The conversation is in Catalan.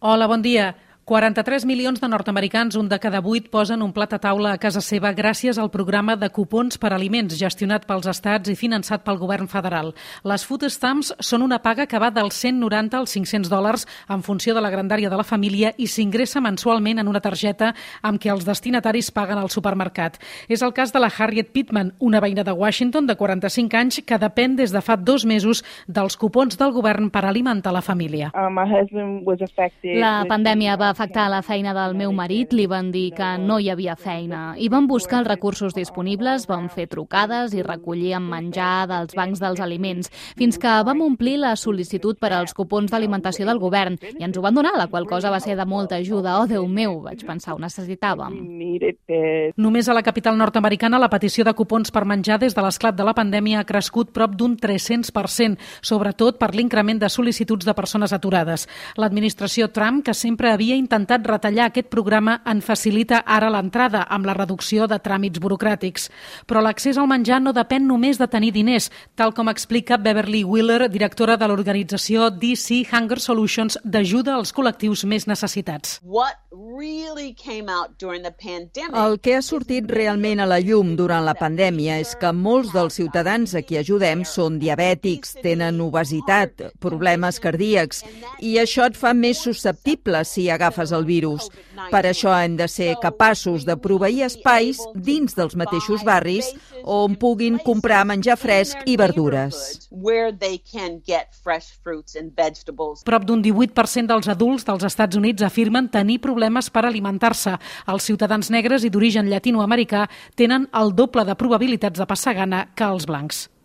Hola, bon dia. 43 milions de nord-americans, un de cada 8, posen un plat a taula a casa seva gràcies al programa de cupons per aliments gestionat pels estats i finançat pel govern federal. Les food stamps són una paga que va dels $190 als $500 en funció de la grandària de la família i s'ingressa mensualment en una targeta amb què els destinataris paguen al supermercat. És el cas de la Harriet Pittman, una veïna de Washington de 45 anys que depèn des de fa 2 mesos dels cupons del govern per alimentar la família. La pandèmia va afectar la feina del meu marit, li van dir que no hi havia feina i van buscar els recursos disponibles, van fer trucades i recollíem menjar dels bancs dels aliments, fins que vam omplir la sol·licitud per als cupons d'alimentació del govern i ens ho van donar, la qual cosa va ser de molta ajuda. Oh, Déu meu, vaig pensar, ho necessitàvem. Només a la capital nord-americana la petició de cupons per menjar des de l'esclat de la pandèmia ha crescut prop d'un 300%, sobretot per l'increment de sol·licituds de persones aturades. L'administració Trump, que sempre havia intentat retallar aquest programa, en facilita ara l'entrada amb la reducció de tràmits burocràtics. Però l'accés al menjar no depèn només de tenir diners, tal com explica Beverly Wheeler, directora de l'organització DC Hunger Solutions d'ajuda als col·lectius més necessitats. El que ha sortit realment a la llum durant la pandèmia és que molts dels ciutadans a qui ajudem són diabètics, tenen obesitat, problemes cardíacs, i això et fa més susceptible si agafes el virus. Per això hem de ser capaços de proveir espais dins dels mateixos barris on puguin comprar menjar fresc i verdures. Prop d'un 18% dels adults dels Estats Units afirmen tenir problemes per alimentar-se. Els ciutadans negres i d'origen llatinoamericà tenen el doble de probabilitats de passar gana que els blancs.